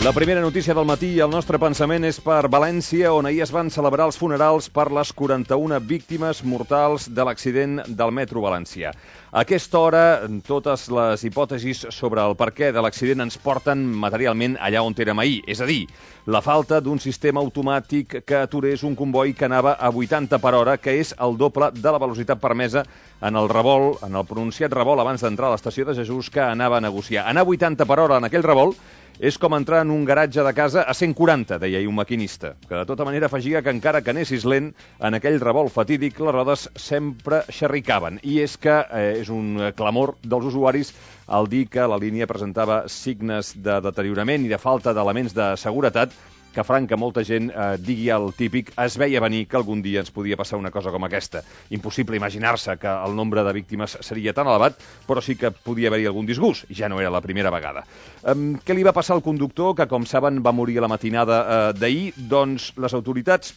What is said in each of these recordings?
La primera notícia del matí i el nostre pensament és per València, on ahir es van celebrar els funerals per les 41 víctimes mortals de l'accident del metro valencià. A aquesta hora, totes les hipòtesis sobre el perquè de l'accident ens porten materialment allà on érem ahir, és a dir, la falta d'un sistema automàtic que aturés un comboi que anava a 80 per hora, que és el doble de la velocitat permesa en el revolt, en el pronunciat revolt abans d'entrar a l'estació de Jesús que anava a negociar. Anar a 80 per hora en aquell revolt és com entrar en un garatge de casa a 140, deia ahir un maquinista, que de tota manera afegia que encara que anessis lent, en aquell revolt fatídic les rodes sempre xerricaven. I és que és un clamor dels usuaris al dir que la línia presentava signes de deteriorament i de falta d'elements de seguretat, que faran que molta gent digui el típic es veia venir que algun dia ens podia passar una cosa com aquesta. Impossible imaginar-se que el nombre de víctimes seria tan elevat, però sí que podia haver-hi algun disgust. Ja no era la primera vegada. Què li va passar al conductor, que com saben va morir a la matinada d'ahir? Doncs les autoritats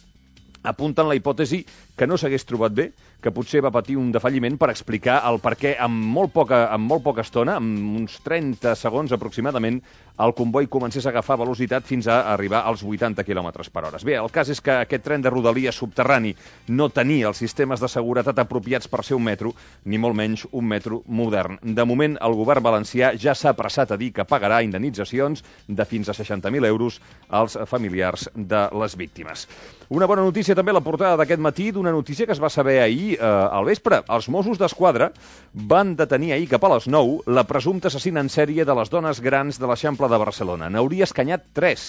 apunten la hipòtesi que no s'hagués trobat bé, que potser va patir un defalliment per explicar el perquè en molt poca estona, en uns 30 segons aproximadament, el comboi comencés a agafar velocitat fins a arribar als 80 km per hora. Bé, el cas és que aquest tren de Rodalies subterrani no tenia els sistemes de seguretat apropiats per ser un metro, ni molt menys un metro modern. De moment, el govern valencià ja s'ha apressat a dir que pagarà indemnitzacions de fins a 60.000 euros als familiars de les víctimes. Una bona notícia també a la portada d'aquest matí, d'una notícia que es va saber ahir al vespre. Els Mossos d'Esquadra van detenir ahir cap a les 9 la presumpta assassina en sèrie de les dones grans de l'Eixample de Barcelona. N'hauria escanyat 3,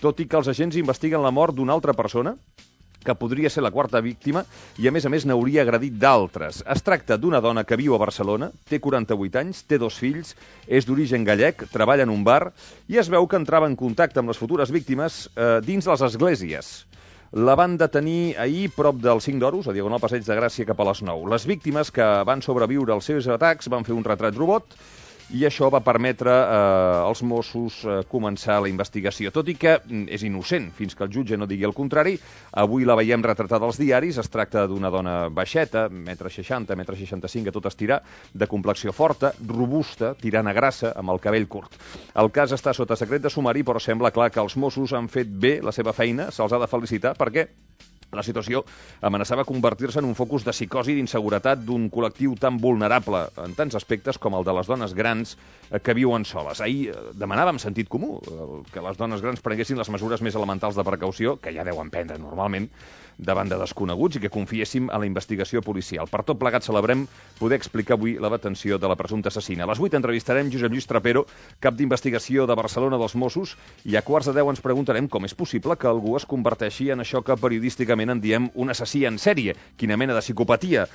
tot i que els agents investiguen la mort d'una altra persona que podria ser la quarta víctima i, a més, n'hauria agredit d'altres. Es tracta d'una dona que viu a Barcelona, té 48 anys, té 2 fills, és d'origen gallec, treballa en un bar i es veu que entrava en contacte amb les futures víctimes dins les esglésies. La van detenir ahir prop del 5 d'Oros, a Diagonal Passeig de Gràcia, cap a les 9. Les víctimes que van sobreviure als seus atacs van fer un retrat robot i això va permetre als Mossos començar la investigació. Tot i que és innocent, fins que el jutge no digui el contrari, avui la veiem retratada als diaris. Es tracta d'una dona baixeta, 1,60 m, 1,65 m, a tot estirar, de complexió forta, robusta, tirant a grassa, amb el cabell curt. El cas està sota secret de sumari, però sembla clar que els Mossos han fet bé la seva feina, se'ls ha de felicitar, perquè la situació amenaçava convertir-se en un focus de psicosi i d'inseguretat d'un col·lectiu tan vulnerable en tants aspectes com el de les dones grans que viuen soles. Ahir demanàvem sentit comú, que les dones grans prenguessin les mesures més elementals de precaució, que ja deuen prendre normalment, davant de desconeguts, i que confiéssim en la investigació policial. Per tot plegat celebrem poder explicar avui la detenció de la presumpta assassina. A les 8 entrevistarem Josep Lluís Trapero, cap d'investigació de Barcelona dels Mossos, i a 9:15 ens preguntarem com és possible que algú es converteixi en això que periodísticament en diem un assassí en sèrie. Quina mena de psicopatia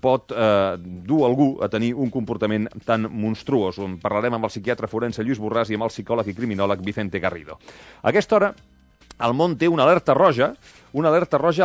pot dur algú a tenir un comportament tan monstruós? On parlarem amb el psiquiatre forense Lluís Borràs i amb el psicòleg i criminòleg Vicente Garrido. A aquesta hora, el món té una alerta roja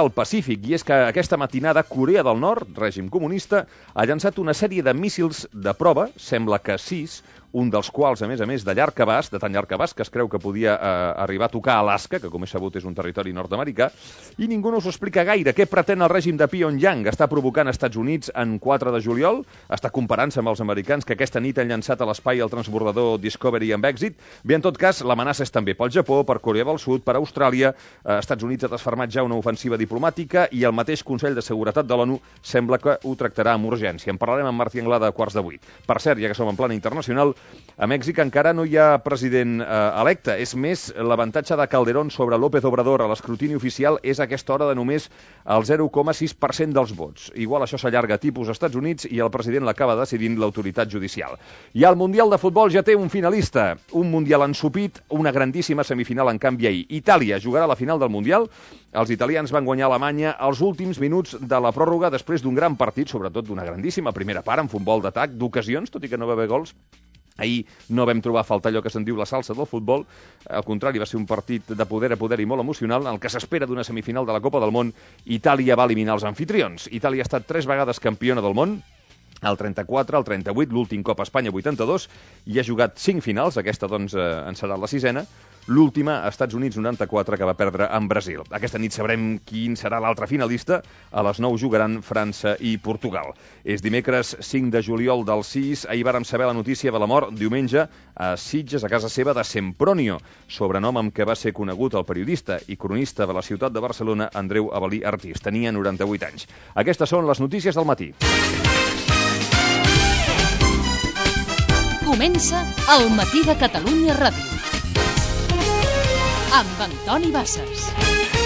al Pacífic, i és que aquesta matinada Corea del Nord, règim comunista, ha llançat una sèrie de míssils de prova, sembla que 6, un dels quals, a més, de llarg abast, de tan llarg abast que es creu que podia arribar a tocar Alaska, que com és sabut és un territori nord-americà, i ningú no us ho explica gaire. Què pretén el règim de Pyongyang? Està provocant als Estats Units en 4 de juliol? Està comparant-se amb els americans que aquesta nit han llançat a l'espai el transbordador Discovery amb èxit? Bé, en tot cas, l'amenaça és també pel Japó, per Corea del Sud, per Austràlia. Estats Units ha desfermat ja una ofensiva diplomàtica i el mateix Consell de Seguretat de l'ONU sembla que ho tractarà amb urgència. En parlarem amb Martí Anglada a 7:15. Per cert, ja que som en plana internacional, a Mèxic encara no hi ha president electe. És més, l'avantatge de Calderón sobre López Obrador a l'escrutini oficial és a aquesta hora de només el 0,6% dels vots. Igual això s'allarga tipus als Estats Units i el president l'acaba decidint l'autoritat judicial. I el Mundial de Futbol ja té un finalista. Un Mundial ensopit, una grandíssima semifinal en canvi ahir. Itàlia jugarà la final del Mundial. Els italians van guanyar Alemanya als últims minuts de la pròrroga després d'un gran partit, sobretot d'una grandíssima primera part amb futbol d'atac, d'ocasions, tot i que no va haver gols. Ahir no vam trobar a faltar allò que se'n diu la salsa del futbol. Al contrari, va ser un partit de poder a poder i molt emocional, en el que s'espera d'una semifinal de la Copa del Món. Itàlia va eliminar els amfitrions. Itàlia ha estat 3 vegades campiona del món, el 34, el 38, l'últim cop a Espanya 82, i ha jugat 5 finals, aquesta doncs en serà la 6ena, l'última a Estats Units 94, que va perdre en Brasil. Aquesta nit sabrem quin serà l'altre finalista, a les 9 jugaran França i Portugal. És dimecres 5 de juliol del 6, ahir vàrem saber la notícia de la mort diumenge a Sitges, a casa seva, de Sempronio, sobrenom amb què va ser conegut el periodista i cronista de la ciutat de Barcelona, Andreu Avel·lí Artís. Tenia 98 anys. Aquestes són les notícies del matí. Comença El matí de Catalunya Ràdio amb Antoni Bassas.